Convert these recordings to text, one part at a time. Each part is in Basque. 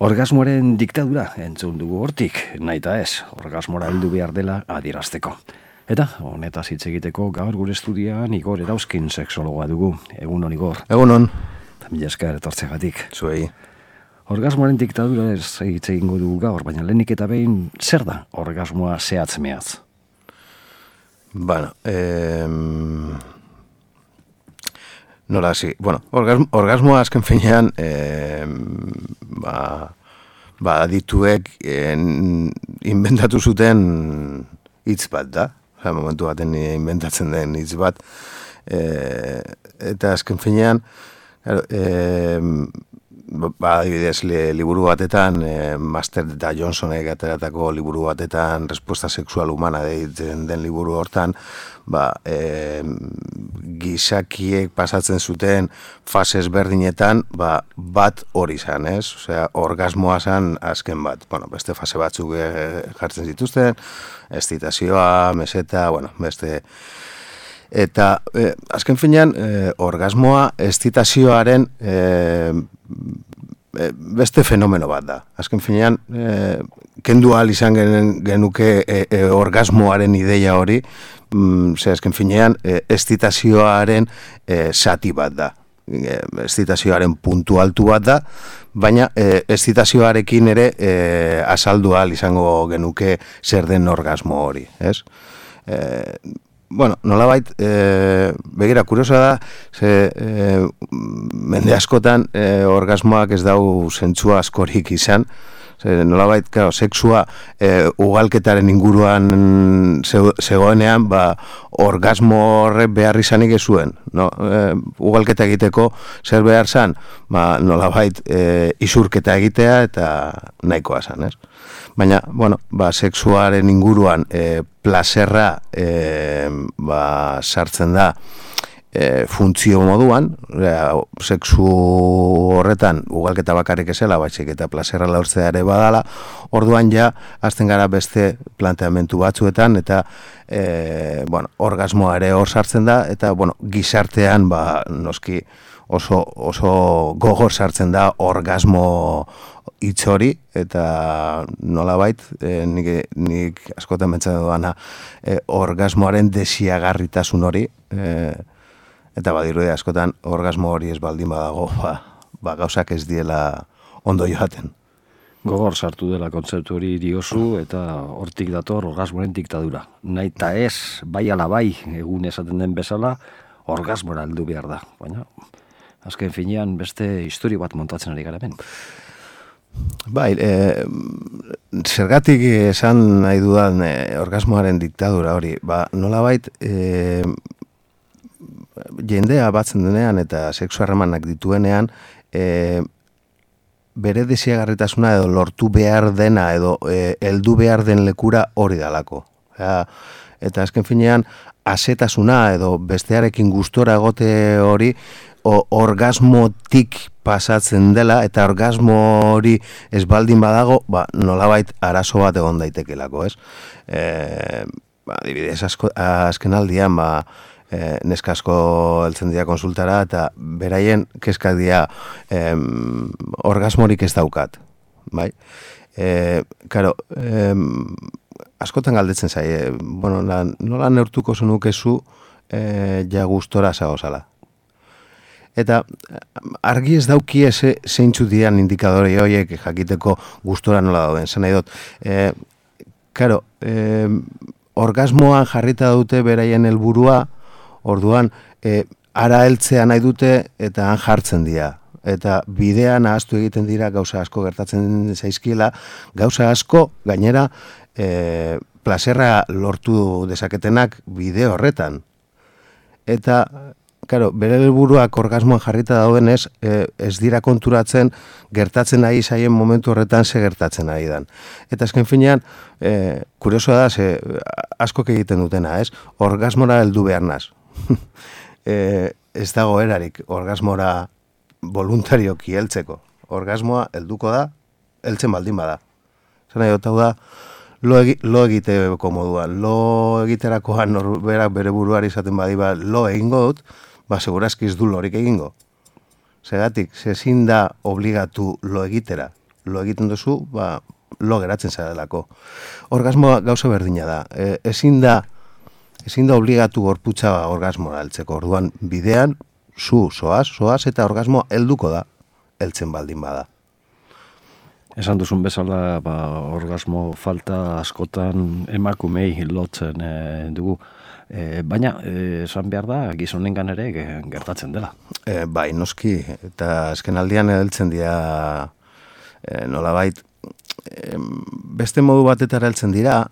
Orgasmoaren diktadura entzun dugu hortik, nahita ez, orgasmora heldu behar dela adierazteko. Eta honetaz hitz egiteko gaur gure estudian Igor Erauzkin sexologoa dugu. Egunon, Igor. Egunon. Mila esker etortzegatik. Zuei. Orgasmoaren diktadura ez hitz egingo dugu gaur, baina lehenik eta behin zer da orgasmoa zehatz mehatz? Bueno, nola hasi. Bueno, orgasmoa azken finean adituek inventatu zuten hitz bat da. Momentu baten inventatzen den hitz bat. Eta azken finean, adibidez, liburu batetan, Master eta Johnsonek ateratako liburu batetan, Respuesta sexual humana deitzen den liburu hortan, gizakiek pasatzen zuten fase ezberdinetan, bat hori zan, ez? Osea, orgasmoa zan azken bat. Bueno, beste fase batzuk jartzen zituzten, excitazioa, meseta, bueno, beste... Eta azken finean, orgasmoa excitazioaren beste fenomeno bat da. Azken finean, kendu ahal izan genuke orgasmoaren ideia hori, azken finean, excitazioaren zati bat da. Excitazioaren puntu altu bat da, baina excitazioarekin ere azaldu ahal izango genuke zer den orgasmo hori, ez? Bueno, nolabait, begira, kuriosa da, mende askotan orgasmoak ez dau zentzua askorik izan, nolabait, sexua ugalketaren inguruan zegoenean, orgasmo horrek behar izanik ez zuen. Ugalketa egiteko zer behar zan, nolabait, isurketa egitea eta nahikoa zan, ez? Baina, bueno, sexuaren inguruan plazerra sartzen da funtzio moduan, sexu horretan ugalketa bakarrik ezela, baizik eta plazerra laurtzea ere badala, orduan ja, azten gara beste planteamentu batzuetan, eta orgasmoa ere hor sartzen da, eta gizartean noski oso gogor sartzen da orgasmo hitz hori, eta nolabait, nik askotan pentsatzen duana orgasmoaren desiagarritasun hori, eta badirudi askotan orgasmo hori ez baldin badago, gauzak ez diela ondo joaten. Gogor sartu dela kontzeptu hori diozu, eta hortik dator orgasmoaren diktadura. Nahita ez, bai ala bai, egun esaten den bezala, orgasmora heldu behar da. Baina, azken finean beste historia bat montatzen ari gara hemen. Bai, zergatik esan nahi dudan orgasmoaren diktadura hori, nolabait jendea batzen denean eta sexu harremanak dituenean bere desiagarritasuna edo lortu behar dena edo heldu behar den lekura hori dalako. Eta azken finean asetasuna edo bestearekin gustora egote hori orgasmotik pasatzen dela, eta orgasmo hori ez baldin badago, nolabait arazo bat egon daitekelako, ez? Adibidez, azken aldian, neska asko heltzen dira konsultara, eta beraien kezkak dira orgasmorik ez daukat, bai? Karo, askotan galdetzen zaie, nola neurtuko zenukezu ja gustora zagozala. Eta argi ez daukie zeintzu dian indikadore horiek jakiteko gustora nola dauden. Zen nahi dut, orgasmoan jarrita dute beraien helburua, orduan ara heltzea nahi dute eta han jartzen dira. Eta bidean ahaztu egiten dira gauza asko gertatzen zaizkiela, gauza asko gainera plazerra lortu dezaketenak bide horretan. Eta bere helburuak orgasmoan jarrita daudenez, ez dira konturatzen gertatzen ari zaien momentu horretan ze gertatzen ari dan. Eta azken finean, kuriosoa da, askok egiten dutena, ez? Orgasmora heldu behar naz. Ez dago erarik orgasmora voluntarioki heltzeko. Orgasmoa helduko da, heltzen baldin bada. Zena jota da, lo egiteko moduan, lo egiterakoan norberak bere buruari izaten badiba lo egingo dut, segurazki ez du lorik egingo. Zeratik, zezin da obligatu lo egitera. lo egiten duzu, lo geratzen zarelako. Orgasmoa gauza berdina da. Ezin da obligatu gorputza orgasmoa heltzeko. Orduan, bidean, zoaz eta orgasmoa helduko da, heltzen baldin bada. Esan duzun bezala, orgasmo falta askotan emakumei lotzen dugu. Baina, esan behar da, gizonengan ere gertatzen dela. Bai, noski, eta azken aldian heltzen dira nolabait, beste modu batetara heltzen dira,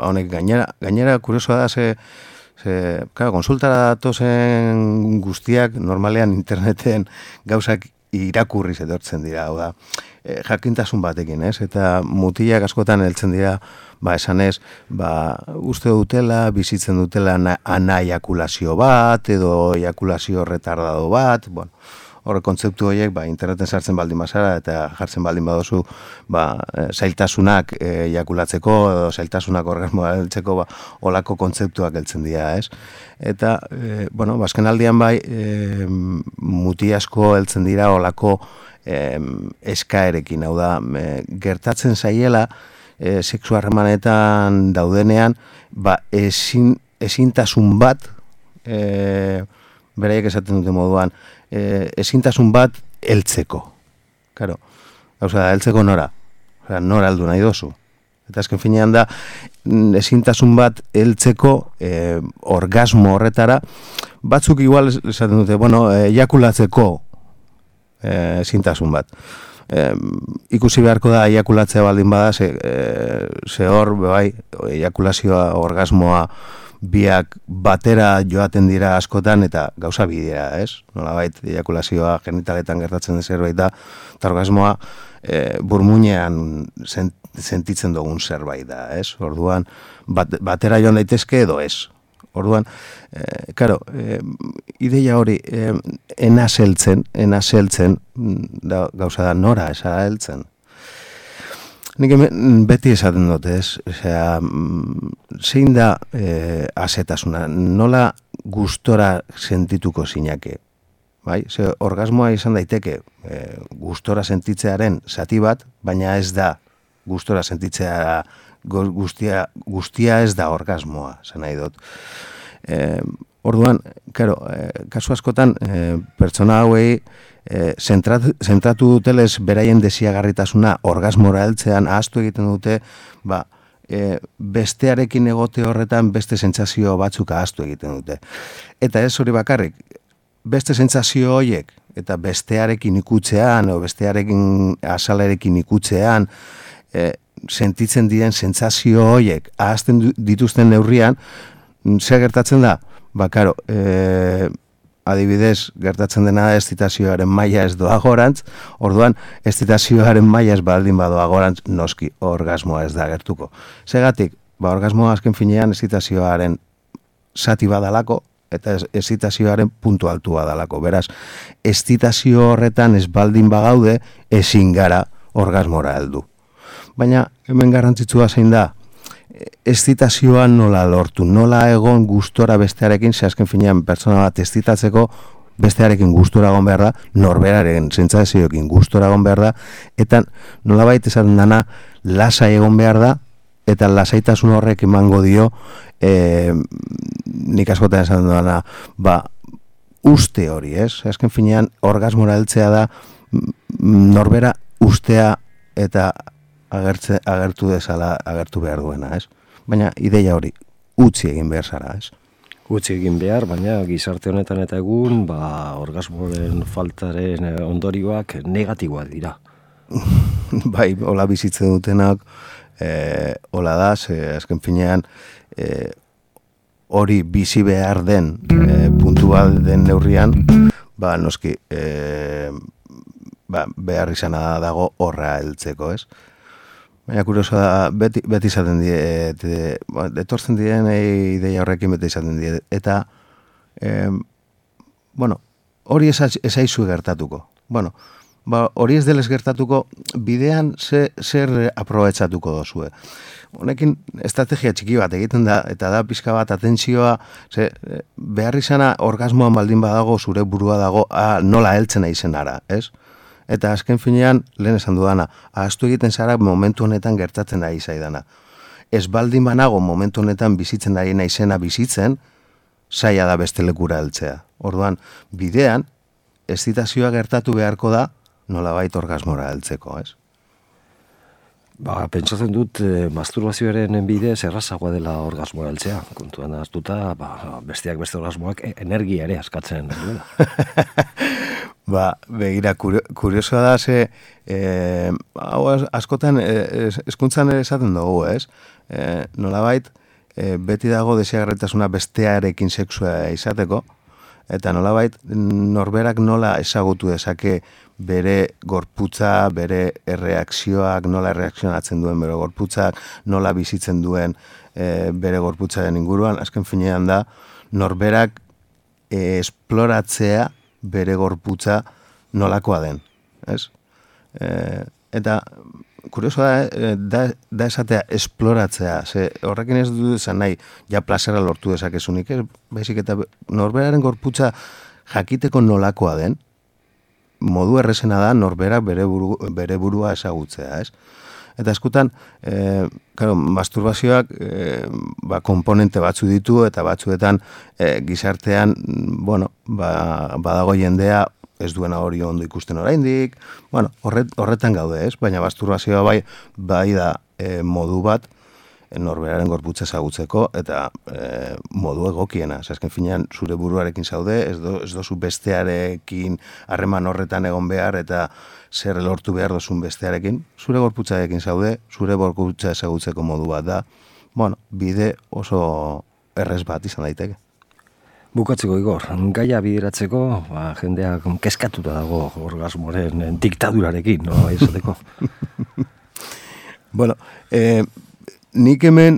honek gainera kuriosoa da, konsultara datozen guztiak, normalean interneten gauzak irakurriz etortzen dira, hau da, jakintasun batekin, ez? Eta mutilak askotan heltzen dira, esanez, uste dutela, bizitzen dutela anaiakulazio bat, edo ejakulazio retardado bat, horre kontzeptu horiek, interneten sartzen baldin bazara, eta jartzen baldin badozu, zailtasunak ejakulatzeko, edo zailtasunak orgasmoa heltzeko, olako kontzeptuak heltzen dira, ez? Eta, azken aldian muti asko heltzen dira olako eskaerekin, hau da, gertatzen zaiela, sexu harremanetan daudenean, ezintasun bat, beraiek esaten dute moduan, ezintasun bat heltzeko. Claro, heltzeko nora. Nora heldu nahi dozu. Eta azken finean da, ezintasun bat heltzeko orgasmo horretara, batzuk igual esaten dute, ejakulatzeko ezintasun bat. Ikusi beharko da ejakulatzea baldin bada, ze hor, ejakulazioa, orgasmoa, biak batera joaten dira askotan eta gauza bidea, ez? Nolabait, ejakulazioa genitaletan gertatzen den zerbait da, eta orgasmoa burmuinean sentitzen dugun zerbait da, ez? Orduan, batera joan daitezke edo ez. Orduan, ideia hori, enazeltzen, gauza da nora esa heltzen. Nik beti esaten dut, ez? Zein da asetasuna, nola gustora sentituko zinake? Ze orgasmoa izan daiteke gustora sentitzearen zati bat, baina ez da gustora sentitzea guztia ez da orgasmoa, zen nahi dut. Orduan, kasu askotan, pertsona hauei, zentratu dutelez beraien desiagarritasuna orgasmora heltzean ahaztu egiten dute, bestearekin egote horretan beste sentsazio batzuk ahaztu egiten dute. Eta ez hori bakarrik, beste sentsazio horiek eta bestearekin ikutzean, o bestearekin azalarekin ikutzean, sentitzen diren sentsazio horiek ahazten dituzten neurrian, zer gertatzen da? Adibidez, gertatzen dena estitazioaren maila ez doa gorantz, orduan, estitazioaren maila ez baldin badoa gorantz, noski orgasmoa ez da gertuko. Segatik, orgasmoa azken finean estitazioaren zati badalako, eta estitazioaren puntu altu badalako. Beraz, estitazio horretan ez baldin bagaude, ezin gara orgasmora heldu. Baina, hemen garrantzitsua zein da, estitazioa nola lortu, nola egon gustora bestearekin, ze azken finean pertsona bat estitatzeko bestearekin gustora egon behar da, norberaren sentsazioekin gustora egon behar da, eta nolabait esaten dana lasai egon behar da, eta lasaitasun horrek emango dio, nik askotan esaten dana, uste hori, ez? Azken finean orgasmora heltzea da, norbera ustea eta agertu dezala, agertu behar duena, ez? Baina ideia hori, utzi egin behar zara, ez? Utzi egin behar, baina gizarte honetan eta egun, orgasmoren faltaren ondorioak negatiboak dira. Bai, hola bizitzen dutenak, hola da, azken finean, hori bizi behar den puntu bat den neurrian, noski, behar izana dago horra heltzeko, ez? Baina kurioso da, beti izaten etortzen diren ideia horrekin beti izaten die. Eta, hori esaizu gertatuko. Hori ez delez gertatuko, bidean zer aprobetxatuko dozue. Honekin estrategia txiki bat egiten da, eta da pixka bat atentzioa, behar izana orgasmoan baldin badago, zure burua dago, nola heltzen aizen ara, ez? Eta azken finean, lehen esan dudana, ahaztu egiten zara momentu honetan gertatzen ari zaidana. Ez baldin banago momentu honetan bizitzen ari naizena bizitzen, zaila da beste lekura heltzea. Orduan, bidean, excitazioa gertatu beharko da, nolabait orgasmora heltzeko, ez? Pentsatzen dut, masturbazioaren bidez errazagoa dela orgasmoa heltzea. Kontuan hartuta, besteak beste orgasmoak energia ere askatzen duela. Begira, kuriosoa da, ze, hau askotan, hezkuntzan ere esaten dugu, ez? Nolabait, beti dago deseagarritasuna bestearekin sexua izateko, eta nolabait, norberak nola ezagutu dezake bere gorputza, bere erreakzioak, nola erreakzionatzen duen bere gorputzak, nola bizitzen duen bere gorputzaren inguruan, azken finean da, norberak esploratzea bere gorputza nolakoa den, ez? Eta kuriosoa da esatea esploratzea, ze horrekin ez du esan nahi, ja plazera lortu dezakezunik, ez? Baizik eta norberaren gorputza jakiteko nolakoa den, modu errezena da norberak bere burua ezagutzea, ez? Eta eskutan, masturbazioak komponente batzu ditu, eta batzuetan gizartean, badago jendea ez duena hori ondo ikusten oraindik, horretan gaude, ez? Baina masturbazioa bai da modu bat norberaren gorputza ezagutzeko, eta modu egokiena. Azken finean, zure buruarekin zaude, ez dozu bestearekin harreman horretan egon behar, eta zer lortu behar dozun bestearekin, zure gorputzarekin zaude, zure gorputza ezagutzeko modu bat da, bide oso errez bat izan daiteke. Bukatzeko, Igor, gaia bideratzeko, jendeak keskatuta dago orgasmoren diktadurarekin, no, izateko? Nik hemen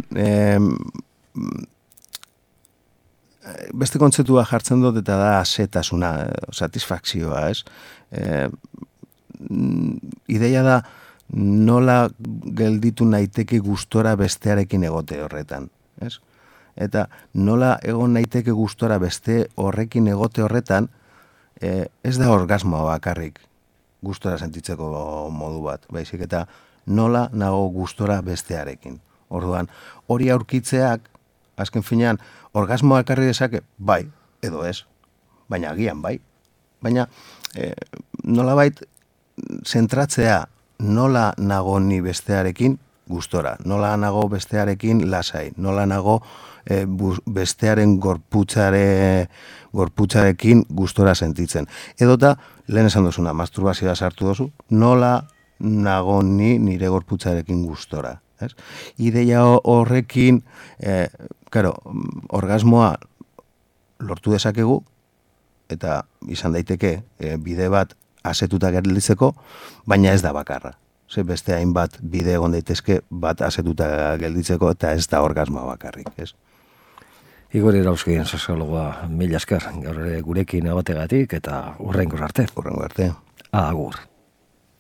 beste kontzeptua jartzen dut, eta da asetasuna, satisfakzioa, ez? Ideia da nola gelditu naiteke gustora bestearekin egote horretan, ez? Eta nola egon naiteke gustora beste horrekin egote horretan, ez da orgasmoa bakarrik gustora sentitzeko modu bat, baizik eta nola nago gustora bestearekin. Orduan, hori aurkitzeak, azken finean, orgasmoa ekarri dezake, bai, edo ez, baina agian bai. Baina nolabait zentratzea nola nago ni bestearekin gustora, nola nago bestearekin lasai, nola nago bestearen gorputzarekin gustora sentitzen. Edota, lehen esan duzuna, masturbazioa sartu dozu, nola nago ni nire gorputzarekin gustora. Ideia horrekin, orgasmoa lortu dezakegu, eta izan daiteke bide bat asetuta gelditzeko, baina ez da bakarra. Ze beste hainbat bide egon daitezke bat asetuta gelditzeko, eta ez da orgasmoa bakarrik, ez? Igor Irauzkien soziologoa, mila esker, gaur gurekin abategatik, eta hurrengo arte. Hurrengo arte. Agur.